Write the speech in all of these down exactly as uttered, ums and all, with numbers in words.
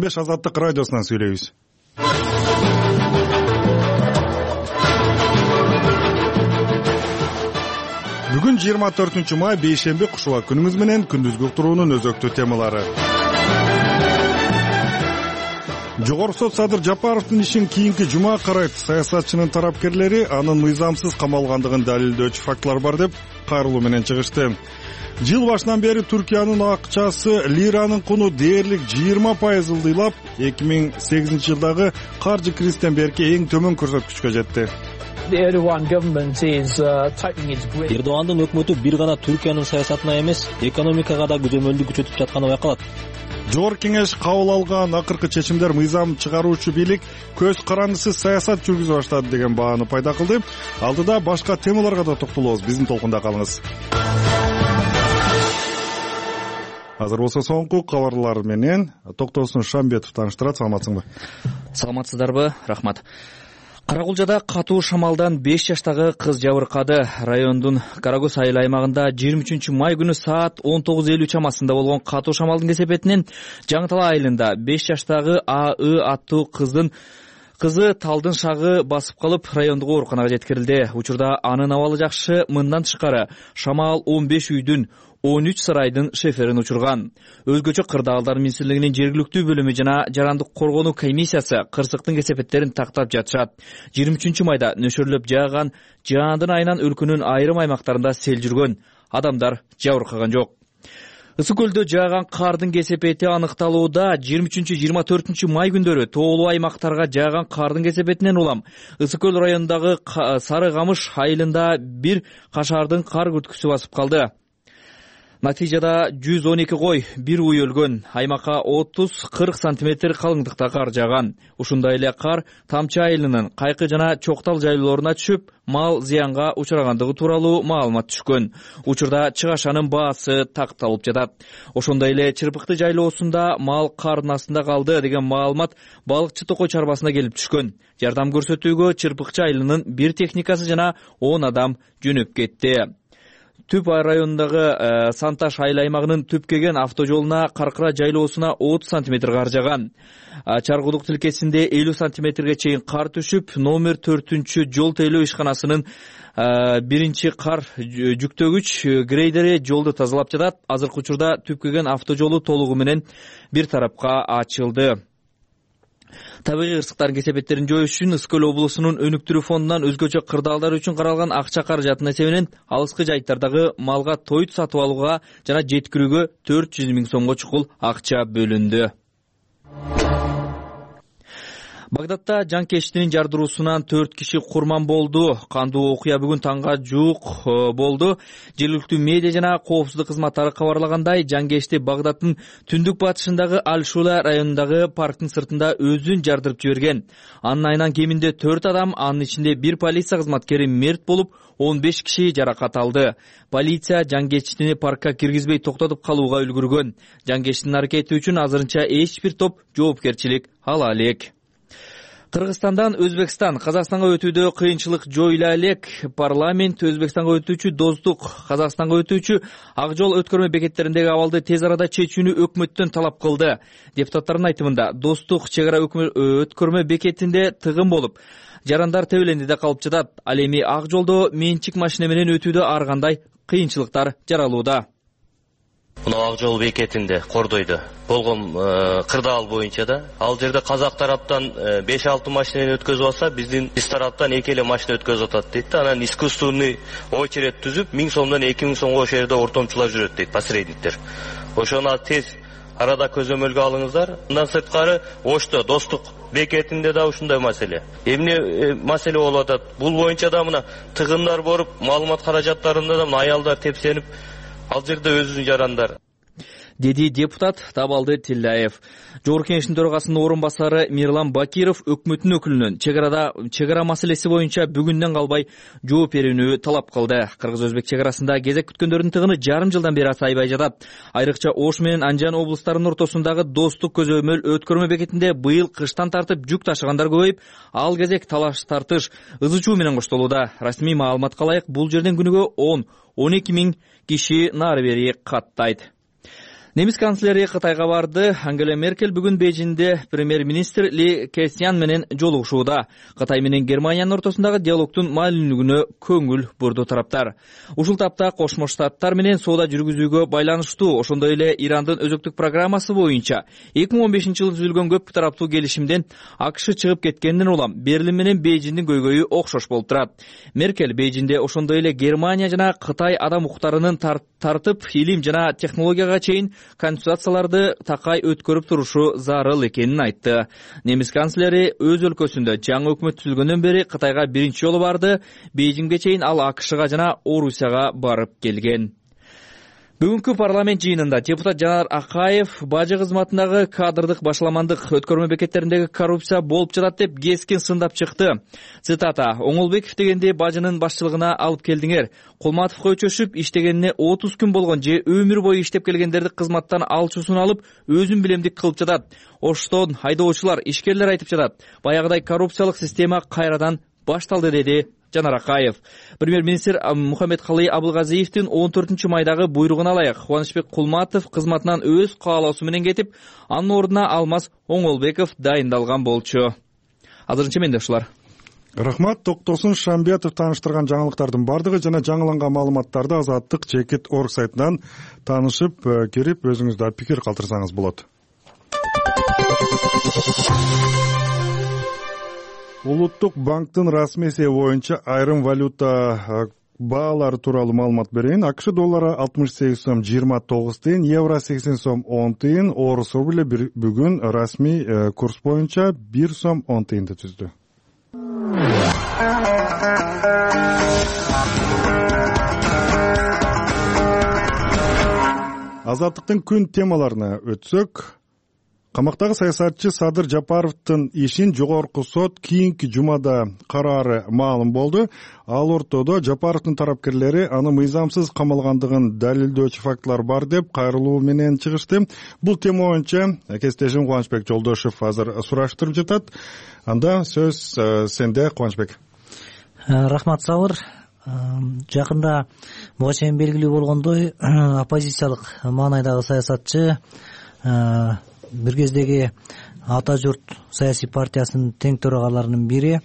беш Азаттык радиосунан сүйлөйбүз. Бүгүн жыйырма төртүнчү май бейшемби кушуба күнүңүз менен күндүзгү уктуруунун өзөктүү темалары. Жогорку сот Садыр Жапаровдун ишин кийинки жума карайт. Саясатчынын тарапкерлери анын мыйзамсыз камалгандыгын далилдөөчү фактылар бар деп кайрылуу менен чыгышты. Жыл башынан бери Түркиянын акчасы лиранын куну дээрлик жыйырма пайыз ылдыйлап, эки миң сегизинчи жылдагы каржы кризистен берки эң төмөн көрсөткүчкө жетти. Эрдогандын өкмөтү бир гана Түркиянын саясатына эмес, экономикага да көзөмөлдү күчөтүп жатканы байкалат. Жогорку кеңеш кабыл алган акыркы чечимдер мыйзам чыгаруучу бийлик көз карандысыз саясат жүргүзө баштады деген бааны пайда кылды. Алдыда башка темаларга да токтолобуз. Биздин толкунда калыңыз. Азыр болсо соңку кабарлар менен Токтосун Шамбетов тааныштырат. Саламатсыңбы? Саламатсыздарбы? Рахмат. Карагулжада катуу шамалдан беш жаштагы кыз жабыркады. Райондун Карагөз айыл аймагында жыйырма үчүнчү май күнү саат он тогуз элүү чамасында болгон катуу шамалдын кесепетинен Жаңытала айылында беш жаштагы А И аттуу кыздын кызы талдын шагы басып калып, райондук ооруканага жеткирилди. Учурда анын абалы жакшы. Мындан тышкары шамал он беш үйдүн он үч сарайдын шеферин учурган. Өзгөчө Кырдаалдар министрлигинин жергиликтүү бөлүмү жана жарандык коргонуу комиссиясы кырсыктын кесепеттерин тактап жатышат. жыйырма үчүнчү майда нөшөрлөп жааган жаандын айынан өлкөнүн айрым аймактарында сел жүргөн. Адамдар жабыркаган жок. Ысык көлдө жааган кардын кесепети аныкталууда. жыйырма үчүнчү жыйырма төртүнчү май күндөрү тоолуу аймактарга жааган кардын кесепетинен улам Ысык көл районундагы Сары Камыш айылында бир кашардын кар күрткүсү басып калды. Натыйжада жүз он эки кой, бир уй өлгөн. Аймакка отуз кырк сантиметр калыңдыкта кар жааган. Ушундай эле кар Тамчы айылынын Кайкы жана Чоктал жайлооруна түшүп, мал зыянга учурагандыгы тууралуу маалымат түшкөн. Учурда чыгашанын баасы такталып жатат. Ошондой эле Чырпыкты жайлоосунда мал кардын астында калды деген маалымат балыкчы Токой чарбасына келип түшкөн. Жардам көрсөтүүгө Чырпыкчы айылынын бир техникасы жана он адам жөнөп кетти. Түп районундагы Санташ айыл аймагынын Түпкеген автожолуна Каркыра жайлоосуна отуз сантиметр кар жааган. Чаргудук тилкесинде элүү сантиметрге чейин кар түшүп, номер төртүнчү жол тейлөө ишканасынын биринчи кар жүктөгүч грейдери жолду тазалап жатат. Азыркы учурда Түпкеген автожолу толугу менен бир тарапка ачылды. Табигый кырсыктардын кесепеттерин жоюш үчүн Ысык көл облусунун өнүктүрүү фондунан өзгөчө кырдаалдар үчүн каралган акча каражатынын эсебинен алыскы жайыттардагы малга тоют сатып алууга жана жеткирүүгө төрт жүз миң сомго чукул акча бөлүндү. Багдадта жанкечтинин жардыруусунан төрт киши курман болду. Кандуу окуя бүгүн таңга жуук болду. Жергиликтүү медиа жана коопсуздук кызматтары кабарлагандай, жанкечти Багдаддын түндүк батышындагы Аль-Шула районундагы парктын сыртында өзүн жардырып жиберген. Анын айынан кеминде төрт адам, анын ичинде бир полиция кызматкери мерт болуп, он беш киши жаракат алды. Полиция жанкечтини паркка киргизбей токтотуп калууга үлгүргөн. Жанкечтинин аракети үчүн азырынча эч бир топ жоопкерчилик ала элек. Кыргызстандан Өзбекстан Казакстанга өтүүдө кыйынчылык жоюла элек. Парламент Өзбекстанга өтүүчү Достук, Казакстанга өтүүчү Ак жол өткөрмө бекеттериндеги абалды тез арада чечүүнү өкмөттөн талап кылды. Депутаттардын айтымында, Достук чек ара өткөрмө бекетинде тыгын болуп, жарандар тебелендиде калып жатат. Ал эми Ак жолдо менчик машина менен өтүүдө ар кандай кыйынчылыктар жаралууда. Мына Ак жол бекетинде Кордойдо болгон кырдаал боюнча да ал жерде казак тараптан беш алты машинени өткөзүп алса, биздин биз тараптан эки эле машина өткөзүп атат дейт да. Анан искусственный очередь түзүп миң сомдон эки миң сомго ошол жерде ортомчулар жүрөт дейт, посредниктер. Ошону тез арада көзөмөлгө алыңыздар. Мындан сырткары Ошто Достук бекетинде да ушундай маселе. Эмне маселе болуп атат? Бул боюнча да мына тыгындар болуп, маалымат каражаттарында да аялдар тепсенип, ал жерде өзүнүн жарандар. Деди депутат Табалды Тилляев. Жогорку кеңештин төрагасынын орун басары Мирлан Бакиров өкмөттүн өкүлүнөн чек арада чек ара маселеси боюнча бүгүндөн калбай жооп берүүнү талап кылды. Кыргыз-Өзбек чек арасында кезек күткөндөрдүн тыгыны жарым жылдан бери азайбай жатат. Айрыкча Ош менен Анжан облустарынын ортосундагы Достук көзөмөл өткөрмө бекетинде быйыл кыштан тартып жүк ташыгандар көбөйүп, ал кезек талаш тартыш ызы чуу менен коштолууда. Расмий маалыматка ылайык, бул жерден күнүгө он он эки миң киши нары бери каттайт. Немис канцлери Кытайга барды. Ангела Меркель бүгүн Бейжиңде премьер-министр Ли Кесян менен жолугушууда. Кытай менен Германиянын ортосундагы диалогдун маанилүүлүгүнө көңүл бурду тараптар. Ушул тапта Кошмо Штаттар менен соода жүргүзүүгө байланыштуу, ошондой эле Ирандын өзөктүк программасы боюнча эки миң он бешинчи жылы түзүлгөн көп тараптуу келишимден АКШ чыгып кеткенден улам Берлин менен Бейжиңдин көйгөйү окшош болуп турат. Меркель Бейжиңде ошондой эле Германия жана Кытай адам укуктарынын тартып, илим жана технологияга чейин консультацияларды такай өткөрүп турушу зарыл экенин айтты. Немис канцлери өз өлкөсүндө жаңы өкмөт түзүлгөндөн бери Кытайга биринчи жолу барды. Бейжиңге чейин ал АКШга жана Орусияга барып келген. Бүгүнкү парламент жыйынында депутат Жанар Акаев бажы кызматындагы кадрдык башаламандык өткөрмө бекеттериндеги коррупция болуп жатат деп кескин сындап чыкты. Цитата: Оңолбеков дегенди бажынын башчылыгына алып келдиңер. Кулматовго өчөшүп иштегенине отуз күн болгон же өмүр бою иштеп келгендерди кызматтан алчуусун алып, өзүн билемдик кылып жатат. Оштон айдоочулар, ишкерлер айтып жатат. Баягыдай коррупциялык система кайрадан башталды, деди Жанар Акаев. Премьер-министр Мухаммедкалый Абылгазиевдин он төртүнчү майдагы буйругуна ылайык Кубанычбек Кулматов кызматынан өз каалоосу менен кетип, анын ордуна Алмаз Оңолбеков дайындалган болчу. Азырынча менде ушулар. Рахмат. Токтосун Шамбиятов тааныштырган жаңылыктардын бардыгы жана жаңыланган маалыматтарды Азаттык Чекит орг сайтынан таанышып, кирип өзүңүз да пикир калтырсаңыз болот. Улуттук банктын расмий эсеби боюнча айрым валюта баалары тууралуу маалымат берейин. АКШ доллары алтымыш сегиз сом жыйырма тогуз тыйын, евро сексен сом он тыйын, орус рубли бүгүн расмий курс боюнча бир сом он тыйынды түздү. Азаттыктын күн темаларына өтсөк, камактагы саясатчы Садыр Жапаровдун ишин жогорку сот кийинки жумада караары маалым болду. Ал ортодо Жапаровдун тарапкерлери аны мыйзамсыз камалгандыгын далилдөөчү фактылар бар деп кайрылуу менен чыгышты. Бул тема боюнча кесиптешим Кубанычбек Жолдошев азыр сураштырып жатат. Анда сөз сенде, Кубанычбек. Рахмат, Сабыр. Жакында буга чейин белгилүү болгондой, оппозициялык маанайдагы саясатчы бир кездеги Ата журт саясий партиясынын тең төрагаларынын бири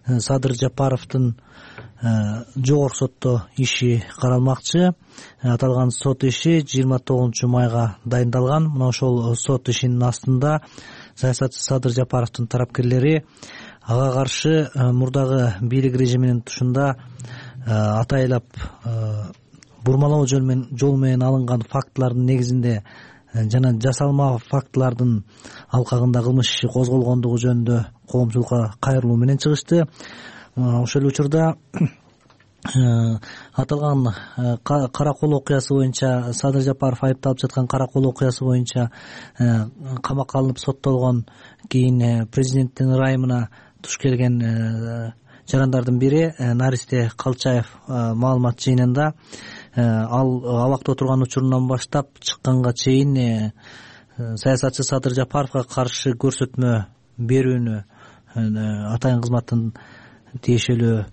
Садыр Жапаровдун жогорку сотто иши каралмакчы. Аталган сот иши жыйырма тогузунчу майга дайындалган. Мына ошол сот ишинин астында саясатчы Садыр Жапаровдун тарапкерлери ага каршы мурдагы бийлик режиминин тушунда атайлап бурмалоо жол менен алынган фактылардын негизинде жана жасалма фактылардын алкагында кылмыш иши козголгондугу жөнүндө коомчулукка кайрылуу менен чыгышты. Ошол учурда аталган Каракол окуясы боюнча, Садыр Жапаров айыпталып жаткан Каракол окуясы боюнча камакка алынып соттолгон, кийин президенттин ырайымына туш келген жарандардын бири Наристе Калчаев маалымат жыйынында ал абакта отурган учурунан баштап чыкканга чейин саясатчы Садыр Жапаровго каршы көрсөтмө берүүнү атайын кызматтын тиешелүү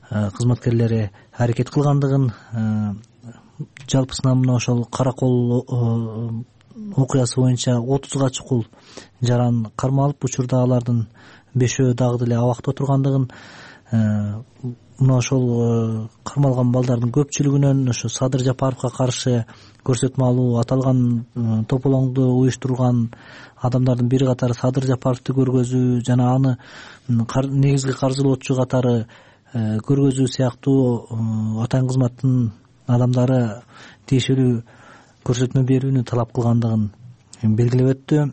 кызматкерлери аракет кылгандыгын, жалпысынан мына ошол Каракол окуясы боюнча отузга чукул жаран кармалып, учурда алардын бешөө дагы деле абакта отургандыгын, мына ошол кармалган балдардын көпчүлүгүнөн ошо Садыр Жапаровго каршы көрсөтмө алуу, аталган тополоңду уюштурган адамдардын бири катары Садыр Жапаровду көргөзүү жана аны негизги каржылоочу катары көргөзүү сыяктуу атайын кызматтын адамдары тиешелүү көрсөтмө берүүнү талап кылгандыгын белгилеп өттү.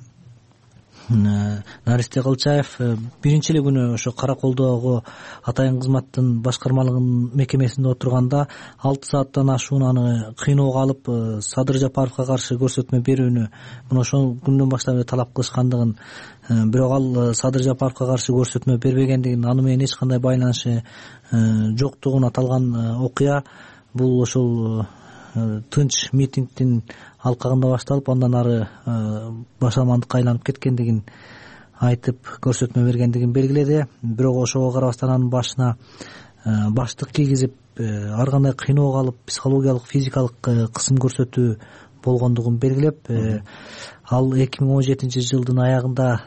Наристе Калчаев биринчи эле күнү ошо Караколдогу атайын кызматтын башкармалыгынын мекемесинде отурганда алты сааттан ашуун аны кыйноого алып, Садыр Жапаровго каршы көрсөтмө берүүнү мына ошол күндөн баштап эле талап кылышкандыгын, бирок ал Садыр Жапаровго каршы көрсөтмө бербегендигин, аны менен эч кандай байланышы жоктугун, аталган окуя бул ошол тынч митингдин алкагында башталып, андан ары башаламандыкка айланып кеткендигин айтып көрсөтмө бергендигин белгиледи. Бирок ошого карабастан анын башына баштык кийгизип, ар кандай кыйноого алып, психологиялык, физикалык кысым көрсөтүү болгондугун белгилеп, ал эки миң он жетинчи жылдын аягында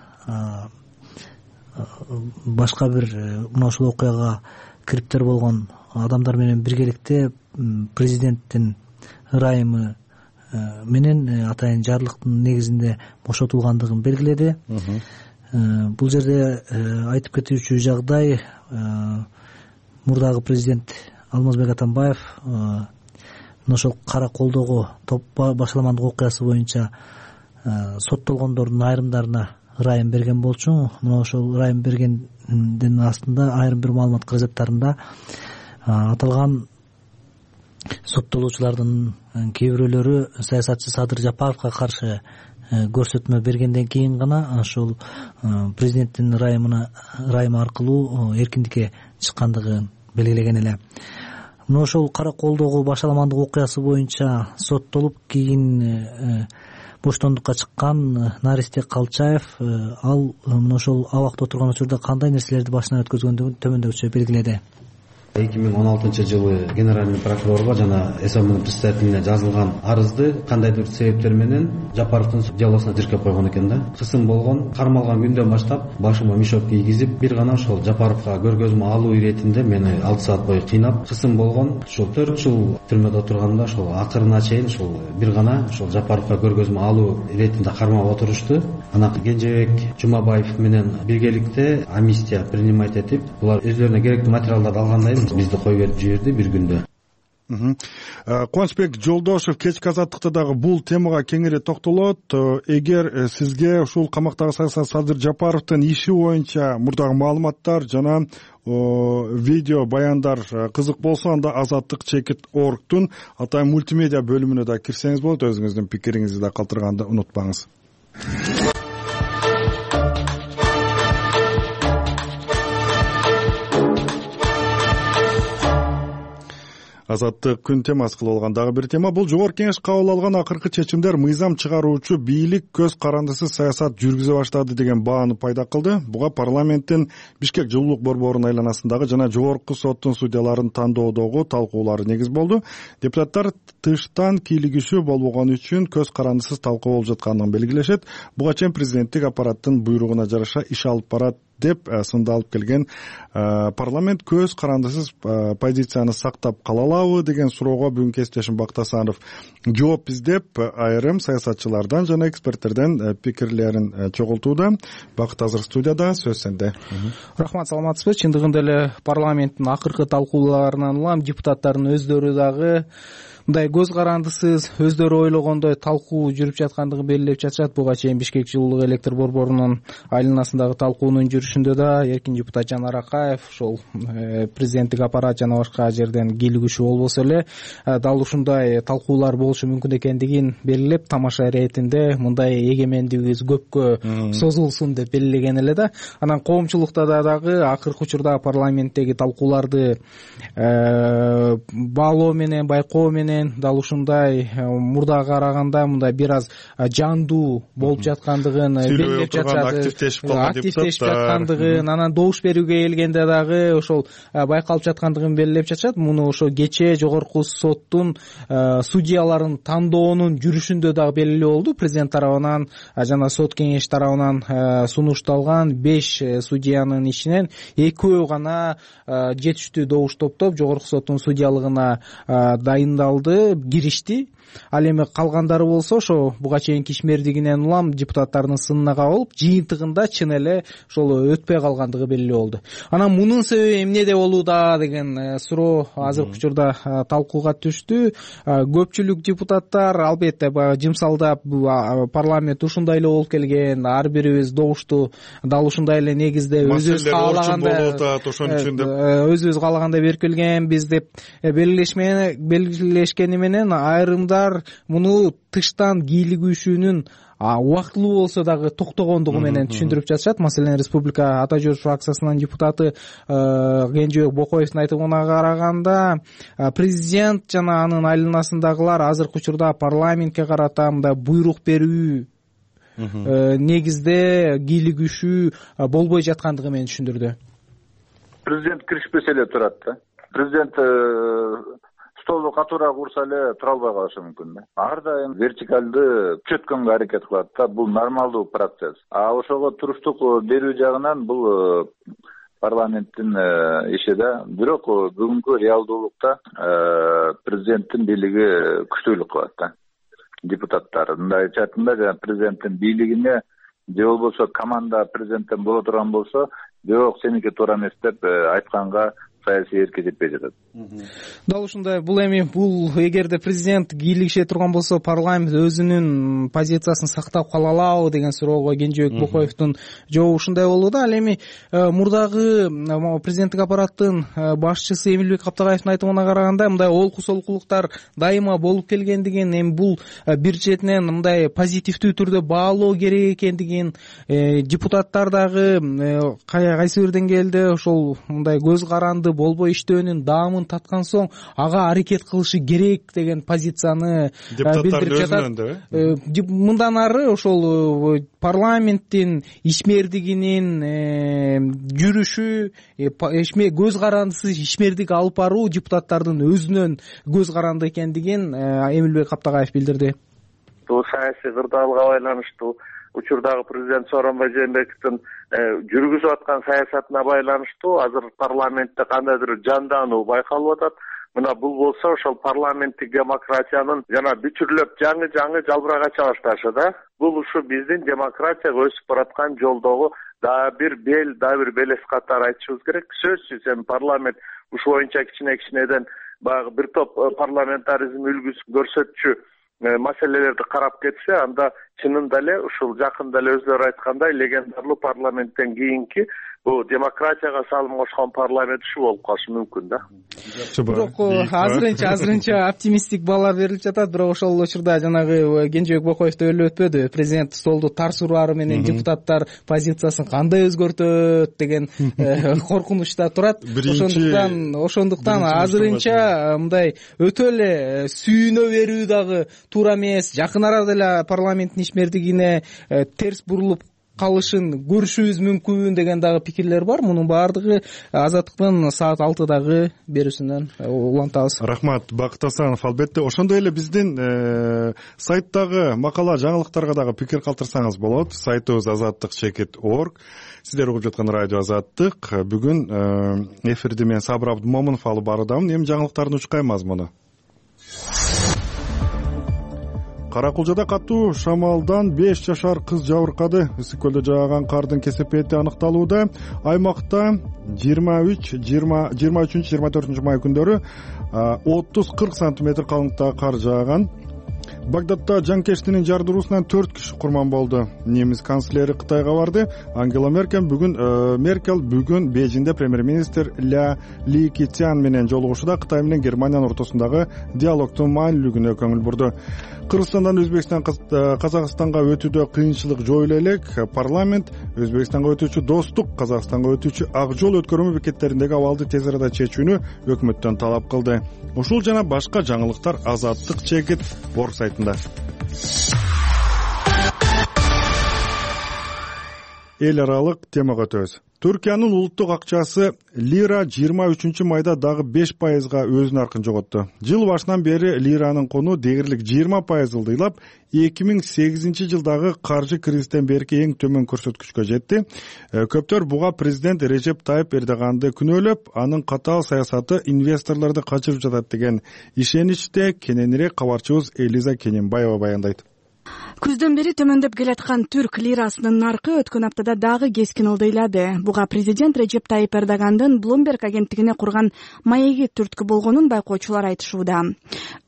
башка бир мына ушул окуяга кириптер болгон адамдар менен биргеликте президенттин ырайымы менен атайын жарлыктын негизинде бошотулгандыгын белгиледи. Бул жерде айтып кетүүчү жагдай, мурдагы президент Алмазбек Атамбаев мына ошол кара колдогу топ башаламандык окуясы боюнча соттолгондордун айрымдарына ырайым берген болчу. Мына ошол ырайым бергендин астында айрым бир маалымат каражаттарында аталган соттолуучулардын кээ бирөөлөрү саясатчы Садыр Жапаровго каршы көрсөтмө бергенден кийин гана ошол президенттин ырайымына ырайымы аркылуу эркиндикке чыккандыгын белгилеген эле. Мына ошол кара колдогу башаламандык окуясы боюнча соттолуп кийин боштондукка чыккан Наристе Калчаев ал мына ошол абакта отурган учурда кандай нерселерди башынан өткөзгөндүгүн төмөндөгүчө белгиледи. эки миң он алтынчы жылы генеральный прокурорго жана СМНын председателине жазылган арызды кандайдыр себептер менен Жапаровдун делосуна тиркеп койгон экен да. Кысым болгон, кармалган күндөн баштап башыма мешок кийгизип, бир гана ошол Жапаровго көргөзмө алуу иретинде мени алты саат бою кыйнап, кысым болгон. Ошол төрт жыл түрмөдө отурганда ошол акырына чейин ошол бир гана ошол Жапаровго көргөзмө алуу иретинде кармап отурушту. Анан Кенжебек Жумабаев менен биргеликте амнистия принимать этип, булар өздөрүнө керектүү материалдарды алгандан кийин бизди коюп берип жиберди бир күндө. Кубанычбек Жолдошев кечки азаттыкта дагы бул темага кеңири токтолот. Эгер сизге ушул камактагы саясат Садыр Жапаровдун иши боюнча мурдагы маалыматтар жана видео баяндар кызык болсо, анда Азаттык чекит оргтун атайын мультимедиа бөлүмүнө да кирсеңиз болот. Өзүңүздүн пикириңизди да калтырганды унутпаңыз. Азаттык күн темасы кылып алган дагы бир тема. Бул жогорку кеңеш кабыл алган акыркы чечимдер мыйзам чыгаруучу бийлик көз карандысыз саясат жүргүзө баштады деген бааны пайда кылды. Буга парламенттин Бишкек жылуулук борборунун айланасындагы жана жогорку соттун судьяларын тандоодогу талкуулары негиз болду. Депутаттар тыштан кийлигишүү болбогон үчүн көз карандысыз талкуу болуп жатканын белгилешет. Буга чейин президенттик аппараттын буйругуна жараша иш алып барат деп сындалып келген парламент көз карандысыз позицияны сактап кала алабы деген суроого бүгүн кесиптешим Бактасанов жооп издеп, айрым саясатчылардан жана эксперттерден пикирлерин чогултууда. Бакыт азыр студияда, сөз сенде. Рахмат, саламатсызбы? Чындыгында эле парламенттин акыркы талкууларынан улам депутаттардын өздөрү дагы мындай көз карандысыз өздөрү ойлогондой талкуу жүрүп жаткандыгын белгилеп жатышат. Буга чейин Бишкек жылуулук электр борборунун айланасындагы талкуунун жүрүшүндө да эркин депутат Жанар Акаев ошол президенттик аппарат жана башка жерден кийлигишүү болбосо эле дал ушундай талкуулар болушу мүмкүн экендигин белгилеп, тамаша иретинде мындай эгемендигибиз көпкө созулсун деп белгилеген эле да. Анан коомчулукта дагы акыркы учурда парламенттеги талкууларды баалоо менен, байкоо менен дал ушундай мурдага караганда мындай бир аз жандуу болуп жаткандыгын белгилеп жатышат. Активдешип жаткандыгын, анан добуш берүүгө келгенде дагы ошол байкалып жаткандыгын белгилеп жатышат. Муну ошо кечээ жогорку соттун судьяларын тандоонун жүрүшүндө дагы белгилүү болду. Президент тарабынан жана сот кеңеш тарабынан сунушталган беш судьянын ичинен экөө гана жетиштүү добуш топтоп жогорку соттун судьялыгына дайындалды, киришти. Ал эми калгандары болсо ошо буга чейинки ишмердигинен улам депутаттардын сынына кабылып, жыйынтыгында чын эле ошол өтпөй калгандыгы белгилүү болду. Анан мунун себеби эмнеде болууда деген суроо азыркы учурда талкууга түштү. Көпчүлүк депутаттар албетте баягы жымсалдап парламент ушундай эле болуп келген, ар бирибиз добушту дал ушундай эле негизде өзүбүз каалагандай ошон үчүн деп өзүбүз каалагандай берип келгенбиз деп белгилешкени менен айрымдар муну тыштан кийлигүүшүүнүн убактылуу болсо дагы токтогондугу менен түшүндүрүп жатышат. Маселен, Республика Ата Жүрүш фракциясынын депутаты Кенжебек Бокоевдин айтымына караганда, президент жана анын айланасындагылар азыркы учурда парламентке карата мындай буйрук берүү негизде кийлигишүү болбой жаткандыгы менен түшүндүрдү. Президент киришпесе эле турат да. Президент столду катуураак урса эле тура албай калышы мүмкүн да. Ар дайым вертикалды күчөткөнгө аракет кылат да. Бул нормалдуу процесс. А ошого туруштук берүү жагынан бул парламенттин иши да. Бирок бүгүнкү реалдуулукта президенттин бийлиги күчтүүлүк кылат да. Депутаттар мындай айтатында жана президенттин бийлигине же болбосо команда президенттен боло турган болсо, жок сеники туура эмес деп айтканга саясий эрке жетпей жатат. Дал ушундай. Бул эми бул эгерде президент кийлигише турган болсо, парламент өзүнүн позициясын сактап кала алабы деген суроого Кенжебек Бокоевдун жообу ушундай болду да. Ал эми мурдагы президенттик аппараттын башчысы Эмилбек Каптагаевдин айтымына караганда, мындай олку солкулуктар дайыма болуп келгендигин, эми бул бир четинен мындай позитивдүү түрдө баалоо керек экендигин, депутаттар дагы кайсы бир деңгээлде ошол мындай көз каранды болбой иштөөнүн даамын таткан соң ага аракет кылышы керек деген позицияны билдирип жатат. Мындан ары ошол парламенттин ишмердигинин жүрүшү, көз карандысыз ишмердик алып баруу депутаттардын өзүнөн көз каранды экендигин Эмилбек Каптагаев билдирди. Бул саясий кырдаалга байланыштуу, учурдагы президент Сооронбай Жээнбековдун жүргүзүп аткан саясатына байланыштуу азыр парламентте кандайдыр жандануу байкалып атат. Мына бул болсо ошол парламенттик демократиянын жана бүтүрлөп жаңы жаңы жалбырак ача башташы да. Бул ушу биздин демократияга өсүп бараткан жолдогу дагы бир бел, дагы бир белес катары айтышыбыз керек. Сөзсүз эми парламент ушу боюнча кичине кичинеден баягы бир топ парламентаризм үлгүсүн көрсөтчү маселелерди карап кетсе, анда чынында эле ушул жакында эле өзүлөрү айткандай легендарлуу парламенттен кийинки бул демократияга салым кошкон парламент ушу болуп калышы мүмкүн да. Бирок азырынча азырынча оптимисттик баалар берилип жатат. Бирок ошол учурда жанагы Кенжебек Бокоев да өлүп өтпөдү. Президент столду тарс ураары менен депутаттар позициясын кандай өзгөртөт деген коркунучта турат. Ошондуктан ошондуктан азырынча мындай өтө эле сүйүнө берүү дагы туура эмес. Жакын арада эле парламенттин ишмердигине терс бурулуп калышын көрүшүбүз мүмкүн деген дагы пикирлер бар. Мунун баардыгы Азаттыктын саат алтыдагы берүүсүнөн улантабыз. Рахмат, Бакыт Асанов. Албетте ошондой эле биздин сайттагы макала жаңылыктарга дагы пикир калтырсаңыз болот. Сайтыбыз азаттык чекит точка орг. Сиздер угуп жаткан радио Азаттык. Бүгүн эфирди мен Сабыр Абдумомунов алып баруудамын. Эми жаңылыктардын учкай мазмуну. Каракулжада катуу шамалдан беш жашар кыз жабыркады. Ысык көлдө жааган кардын кесепети аныкталууда. Аймакта жыйырма үч жыйырма үчүнчү жыйырма төртүнчү май күндөрү отуз кырк сантиметр калыңдыкта кар жааган. Багдадта жанкештинин жардыруусунан төрт киши курман болду. Немис канцлери Кытайга барды. Ангела Меркель бүгүн Меркель бүгүн Бейжиңде премьер-министр Ля Ли Китян менен жолугушууда Кытай менен Германиянын ортосундагы диалогдун маанилүүлүгүнө көңүл бурду. Кыргызстандан Өзбекстан Казакстанга өтүүдө кыйынчылык жоюла элек. Парламент Өзбекстанга өтүүчү Достук, Казакстанга өтүүчү Ак жол өткөрмө бекеттериндеги абалды тез арада чечүүнү өкмөттөн талап кылды. Ушул жана башка жаңылыктар Азаттык чекит точка орг сайтында. Эл аралык темага өтөбүз. Түркиянын улуттук акчасы лира жыйырма үчүнчү майда дагы беш пайызга өзүнүн аркын жоготту. Жыл башынан бери лиранын куну дээрлик жыйырма пайыз ылдыйлап, эки миң сегизинчи жылдагы каржы кризистен берки эң төмөн көрсөткүчкө жетти. Көптөр буга президент Режеп Тайып Эрдоганды күнөөлөп, анын катаал саясаты инвесторлорду качырып жатат деген ишеничте. Кененирээк кабарчыбыз Элиза Кененбаева баяндайт. Күздөн бери төмөндөп келаткан түрк лирасынын наркы өткөн аптада дагы кескин ылдыйлады. Буга президент Режеп Тайып Эрдогандын Bloomberg агенттигине курган маеги түрткү болгонун байкоочулар айтышууда.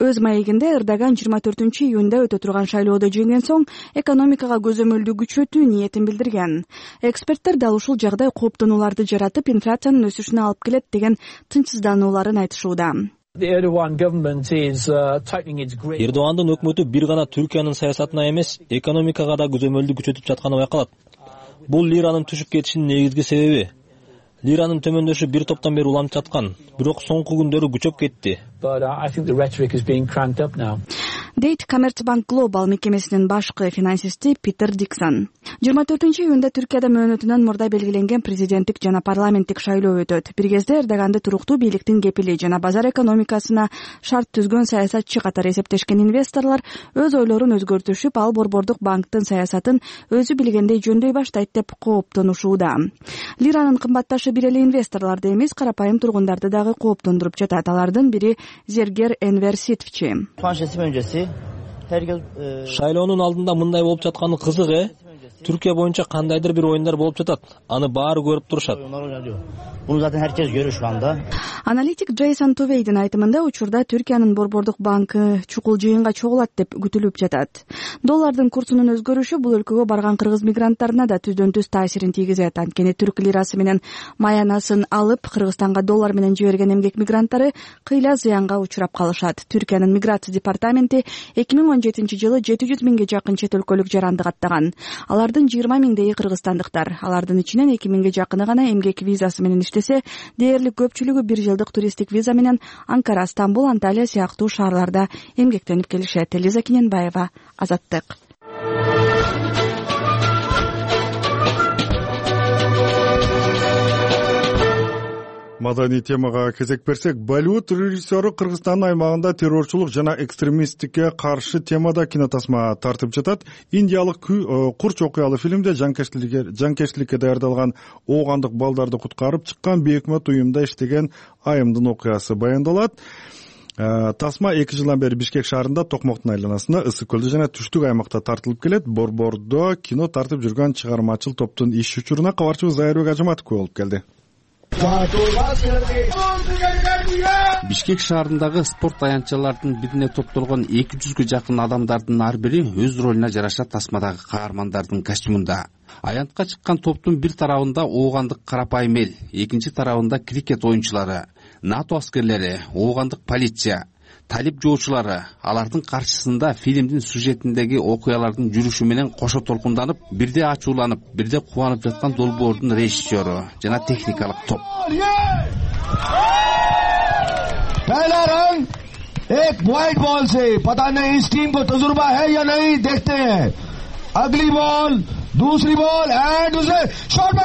Өз маегинде Эрдоган жыйырма төртүнчү июнда өтө турган шайлоодо жеңген соң экономикага көзөмөлдү күчөтүү ниетин билдирген. Эксперттер дал ушул жагдай кооптонууларды жаратып, инфляциянын өсүшүнө алып келет деген тынчсызданууларын айтышууда. Эрдогандын өкмөтү бир гана Түркиянын саясатына эмес, экономикага да көзөмөлдү күчөтүп жатканы байкалат. Бул лиранын түшүп кетишинин негизги себеби. Лиранын төмөндөшү бир топтон бери уланып жаткан, бирок соңку күндөрү күчөп кетти. дейт Commerzbank Global мекемесинин башкы финансисти Питер Диксон. жыйырма төртүнчү июнда Түркияда мөөнөтүнөн мурда белгиленген президенттик жана парламенттик шайлоо өтөт. Бир кезде Эрдоганды туруктуу бийликтин кепили жана базар экономикасына шарт түзгөн саясатчы катары эсептешкен инвесторлор өз ойлорун өзгөртүшүп, ал Борбордук банктын саясатын өзү билгендей жөндөй баштайт деп кооптонушууда. Лиранын кымбатташы бир эле инвесторлорду эмес, карапайым тургундарды дагы кооптондуруп жатат. Алардын бири Зергер Энвер Ситовчи. Шайлоонун алдында мындай болуп жатканы кызык, э? Түркия боюнча кандайдыр бир оюндар болуп жатат. Аны баары көрүп турушат. Аналитик Джейсон Тувейдин айтымында учурда Түркиянын Борбордук банкы чукул жыйынга чогулат деп күтүлүп жатат. Доллардын курсунун өзгөрүшү бул өлкөгө барган кыргыз мигранттарына да түздөн түз таасирин тийгизет. Анткени түрк лирасы менен маянасын алып Кыргызстанга доллар менен жиберген эмгек мигранттары кыйла зыянга учурап калышат. Түркиянын миграция департаменти эки миң он жетинчи жылы жети жүз миңге жакын чет өлкөлүк жаранды каттаган. Алардын жыйырма миңдейи кыргызстандыктар. Алардын ичинен эки миңге жакыны гана эмгек визасы менен иштесе, дээрлик көпчүлүгү бир жылдык туристтик виза менен Анкара, Стамбул, Анталия сыяктуу шаарларда эмгектенип келишет. Элиза Киненбаева, Азаттык. Маданий темага кезек берсек, Болливуд режиссеру Кыргызстандын аймагында террорчулук жана экстремисттикке каршы темада кинотасма тартып жатат. Индиялык курч окуялуу фильмде жанкечтиликке даярдалган оогандык балдарды куткарып чыккан бейөкмөт уюмда иштеген айымдын окуясы баяндалат. Тасма эки жылдан бери Бишкек шаарында Токмоктун айланасында, Ысык көлдө жана Түштүк аймакта тартылып келет. Борбордо кино тартып жүргөн чыгармачыл топтун иш учуруна кабарчыбыз Зайырбек Ажыматов күбө болуп келди. Бишкек шаарындагы спорт аянтчаларынын бирине топтолгон эки жүзгө жакын адамдардын ар бири өз ролуна жараша тасмадагы каармандардын костюмунда. Аянтка чыккан топтун бир тарабында оогандык карапайым эл, экинчи тарабында крикет оюнчулары, НАТО аскерлери, оогандык полиция, талип жоочулары. Алардын каршысында фильмдин сюжетиндеги окуялардын жүрүшү менен кошо толкунданып, бирде ачууланып, бирде кубанып жаткан долбоордун режиссеру жана техникалык топ. एक white ball से पता नहीं इस टीम को तजुर्बा है या नहीं, देखते हैं। अगली बॉल, दूसरी बॉल एंड उसे शॉट में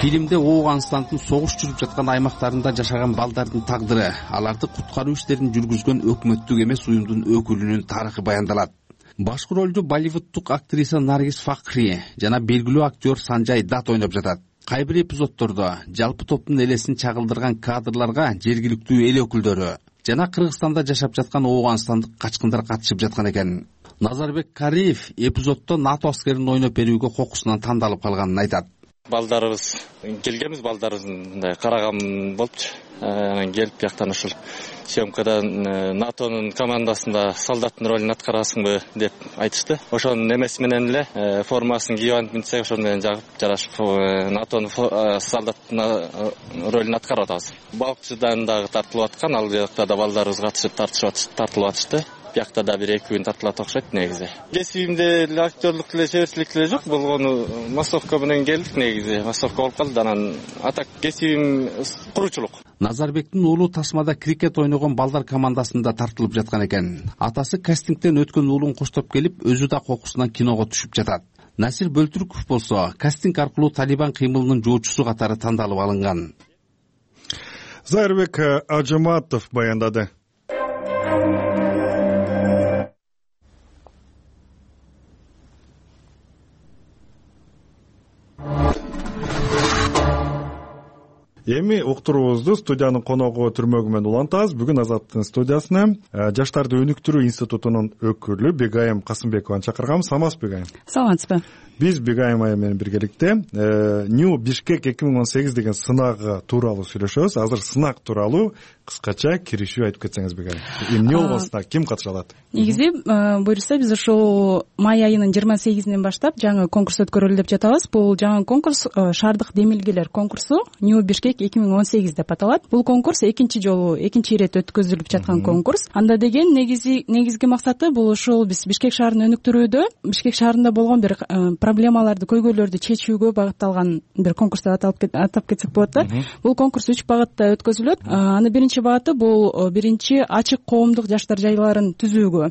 Фильмде Ооганстандын согуш жүрүп жаткан аймактарында жашаган балдардын тагдыры, аларды куткаруу иштерин жүргүзгөн өкмөттүк эмес уюмдун өкүлүнүн тарыхы баяндалат. Башкы ролду Болливудтук актриса Наргиз Факри жана белгилүү актер Санжай Дат ойноп жатат. Кай бир эпизоддордо жалпы топтун элесин чагылдырган кадрларга жергиликтүү эл өкүлдөрү жана Кыргызстанда жашап жаткан ооганстандык качкындар катышып жаткан экен. Назарбек Кариев эпизоддо НАТО аскерин ойноп берүүгө кокусунан тандалып калганын айтат. Балдарыбыз келгенбиз, балдарыбыздын мындай караган болупчу. Анан келип бияктан ушул съемкадан НАТОнун командасында солдаттын ролун аткарасыңбы деп айтышты. Ошонун эмеси менен эле формасын кийип алып минтсе, ошону менен жагып жарашып НАТОнун солдаттын ролун аткарып атабыз. Балыкчыдан дагы тартылып аткан, ал жакта да балдарыбыз катышып тартылып атышты. Биякта да бир эки күн тартылат окшойт негизи. Кесибимде актерлук деле чеберчилик деле жок, болгону массовка менен келдик негизи. Массовка болуп калды, анан атак кесибим куруучулук. Назарбектин уулу тасмада крикет ойногон балдар командасында тартылып жаткан экен. Атасы кастингден өткөн уулун коштоп келип, өзү да кокусунан киного түшүп жатат. Насир Бөлтүрков болсо кастинг аркылуу Талибан кыймылынын жоочусу катары тандалып алынган. Зайырбек Ажыматов баяндады. Эми уктуруубузду студиянын коногу Түрмөгүмөн улантабыз. Бүгүн Азаттын студиясына Жаштарды өнүктүрүү институтунун өкүлү Бегайым Касымбекованы чакыргам. Саламатсызбы, Бегайым? Саламатсызбы. Биз Бегайым айым менен биргеликте New Бишкек эки миң он сегиз деген сынагы тууралуу сүйлөшөбүз. Азыр сынак тууралуу кыскача киришүү айтып кетсеңиз, Бегайым. Эмне болгон сынак, ким катыша алат? Негизи буюрса биз ушул май айынын жыйырма сегизинен баштап жаңы конкурс өткөрөлү деп жатабыз. Бул жаңы конкурс шаардык демилгелер конкурсу New Бишкек эки миң он сегиз деп аталат. Бул конкурс экинчи жолу, экинчи ирет өткөзүлүп жаткан конкурс. Анда деген негизи негизги максаты бул ушул биз Бишкек шаарын өнүктүрүүдө, Бишкек шаарында болгон бир проблемаларды, көйгөйлөрдү чечүүгө багытталган бир конкурс деп атап кетсек болот да. Бул конкурс үч багытта өткөзүлөт. Анын биринчи багыты бул биринчи ачык коомдук жаштар жайларын түзүүгө.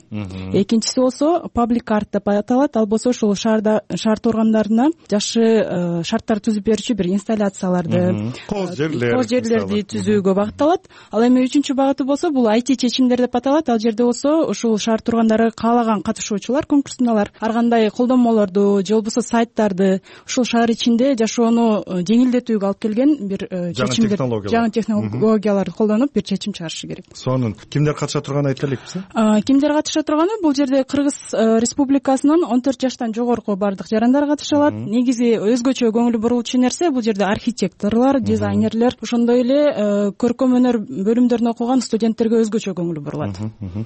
Экинчиси болсо паблик арт деп аталат. Ал болсо ушул шаарда шаар тургандарына жакшы шарттар түзүп берүүчү бир инсталляцияларды, кооз жерлер, кооз жерлерди түзүүгө багытталат. Ал эми үчүнчү багыты болсо бул ай ти чечимдер деп аталат. Ал жерде болсо ушул шаар тургандары каалаган катышуучулар конкурсуналар ар кандай колдонмолорду же болбосо сайттарды ушул шаар ичинде жашоону жеңилдетүүгө алып келген бир чечимдер, жаңы технологияларды колдонуп бир чечим чыгарышы керек. Сонун кимдер катыша турганын айтып элекпизби? Кимдер катыша турганы? Бул жерде Кыргыз Республикасынын он төрт жаштан жогорку бардык жарандар катыша алат. Негизи өзгөчө көңүл буруучу нерсе бул жерде архитекторлор, дизайнерлер, ошондой эле көркөм өнөр бөлүмдөрүн окуган студенттерге өзгөчө көңүл бурулат.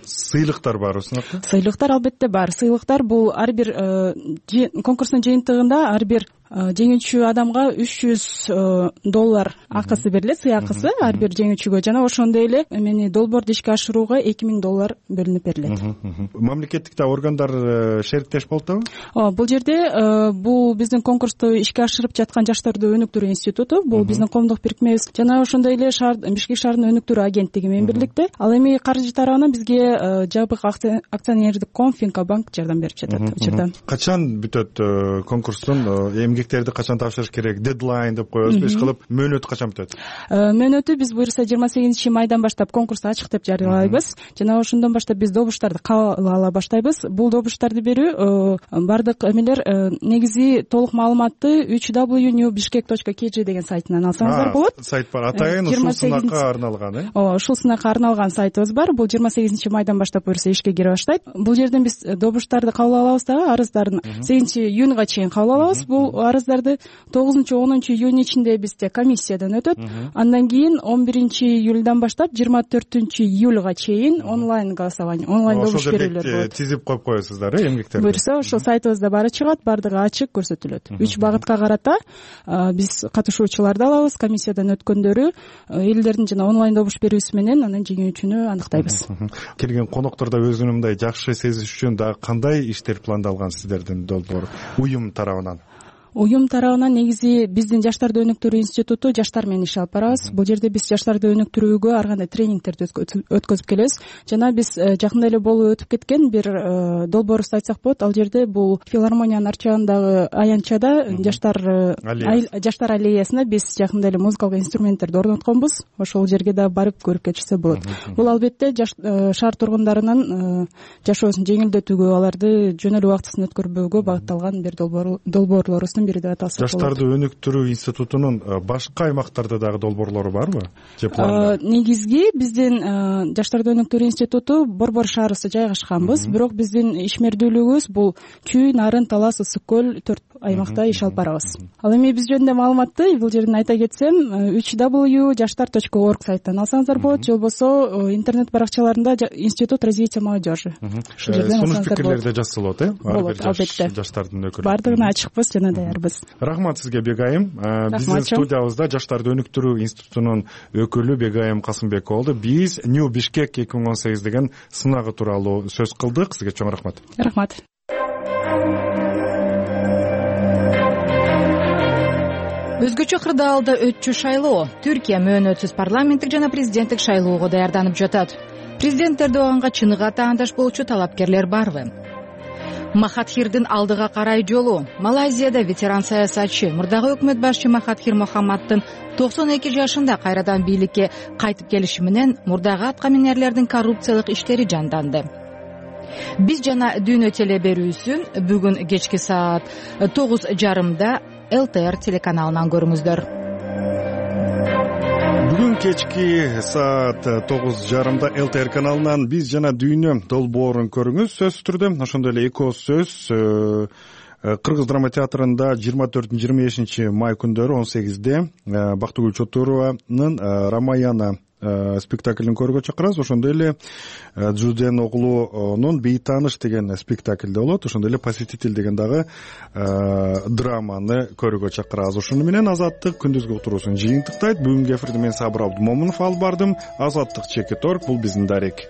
Сыйлыктар барбы сынакта? Сыйлыктар албетте бар. Сыйлыктар бул ар бир конкурстун жыйынтыгында ар бир жеңүүчү адамга үч жүз доллар акысы берилет, сый акысы ар бир жеңүүчүгө. Жана ошондой эле эмени долбоорду ишке ашырууга эки миң доллар бөлүнүп берилет. Мамлекеттик да органдар шериктеш болуп атабы? Ооба, бул жерде бул биздин конкурсту ишке ашырып жаткан Жаштарды өнүктүрүү институту, бул биздин коомдук бирикмебиз. Жана ошондой эле шаар Бишкек шаарынын өнүктүрүү агенттиги менен бирликте. Ал эми каржы тарабынан бизге жабык акционердик коом Финкобанк жардам берип жатат учурда. Качан бүтөт конкурстун эмгектерди качан тапшырыш керек? Дедлайн деп коебузбу, иш кылып мөөнөтү качан бүтөт? Мөөнөтү биз буюрса жыйырма сегизинчи майдан баштап конкурсту ачык деп жарыялайбыз. Жана ошондон баштап биз добуштарды кабыл ала баштайбыз. Бул добуштарды берүү бардык эмелер негизи толук маалыматты үч дабл ю нью бишкек точка кей джи деген сайтынан алсаңыздар болот. Сайт бар. Атайын ушул сынакка арналган, э? Ооба, ушул сынакка арналган сайтыбыз бар. Бул жыйырма сегизинчи майдан баштап буюрса ишке кире баштайт. Бул жерден биз добуштарды кабыл алабыз дагы, арыздарын сегизинчи июнга чейин кабыл алабыз. Бул арыздарды тогузунчу онунчу июнь ичинде бизде комиссиядан өтөт. Андан кийин он биринчи июльдан баштап жыйырма төртүнчү июлга чейин онлайн голосование, онлайн добуш берүүлөр болот. Тизип коюп коесуздар, э, эмгектерди? Буюрса ошол сайтыбызда баары чыгат, баардыгы ачык көрсөтүлөт. Үч багытка карата биз катышуучуларды алабыз, комиссиядан өткөндөрү, элдердин жана онлайн добуш берүүсү менен анан жеңүүчүнү аныктайбыз. Келген коноктор да өзүнүн мындай жакшы сезиш үчүн дагы кандай иштер пландалган сиздердин долбоор уюм тарабынан? Уюм тарабынан негизи биздин Жаштарды өнүктүрүү институту жаштар менен иш алып барабыз. Бул жерде биз жаштарды өнүктүрүүгө ар кандай тренингтерди өткөзүп келебиз. Жана биз жакында эле болуп өтүп кеткен бир долбоорубузду айтсак болот. Ал жерде бул филармониянын арчагындагы аянтчада жаштар жаштар аллеясына биз жакында эле музыкалык инструменттерди орнотконбуз. Ошол жерге да барып көрүп кетишсе болот. Бул албетте шаар тургундарынын жашоосун жеңилдетүүгө, аларды жөн эле убактысын өткөрбөөгө багытталган бир долбоорлорубуздун бири деп аталса болот. Жаштарды өнүктүрүү институтунун башка аймактарда дагы долбоорлору барбы? Же планда? Негизги биздин Жаштарды өнүктүрүү институту Борбор шаарыбызда жайгашканбыз, бирок биздин ишмердүүлүгүбүз бул Чүй, Нарын, Талас, Ысык көл төрт аймакта иш алып барабыз. Ал эми биз жөнүндө маалыматты бул жерден айта кетсем, үч дабл ю жаштар точка орг сайттан алсаңыздар болот, же болбосо интернет баракчаларында Институт развития молодежи. Ушул жерден алсаңыздар болот. Сунуш пикирлерди жазсалот, э? Болот, албетте. Жаштардын өкүлү. Бардыгына ачыкпыз жана даярбыз. Рахмат сизге, Бегайым. Биздин студиябызда Жаштарды өнүктүрүү институтунун өкүлү Бегайым Касымбек болду. Биз New Bishkek эки миң он сегиз деген сынагы тууралуу сөз кылдык. Сизге чоң рахмат. Рахмат. Өзгөчө кырдаалда өтчү шайлоо. Түркия мөөнөтсүз парламенттик жана президенттик шайлоого даярданып жатат. Президент Эрдоганга чыныгы таандаш болчу талапкерлер барбы? Махатхирдин алдыга карай жолу. Малайзияда ветеран саясатчы, мурдагы өкмөт башчы Махатхир Мохаммаддын токсон эки жашында кайрадан бийликке кайтып келиши менен мурдагы аткаминерлердин коррупциялык иштери жанданды. Биз жана Дүйнө теле берүүсүн бүгүн кечки саат тогуз жарымда эл тэ эр телеканалынан көрүңүздөр. Бүгүн кечки саат тогуз жарымда эл тэ эр каналынан Биз жана Дүйнө долбоорун көрүңүз. Сөзсүз түрдө ошондой эле эки ооз сөз Кыргыз драма театрында жыйырма төртүнчү жыйырма бешинчи май күндөрү он сегизде Бактыгүл Чотурованын Рамаяна спектаклин көрүүгө чакырабыз. Ошондой эле Жуден оглунун Бейтаныш деген спектакль болот. Ошондой эле Посетитель деген дагы драманы көрүүгө чакырабыз. Ошону менен Азаттык күндүзгү отуруусун жыйынтыктайт. Бүгүнкү эфирди мен Сабыр Абдумомунов алып бардым. Азаттык Чекиторг, бул биздин дарек.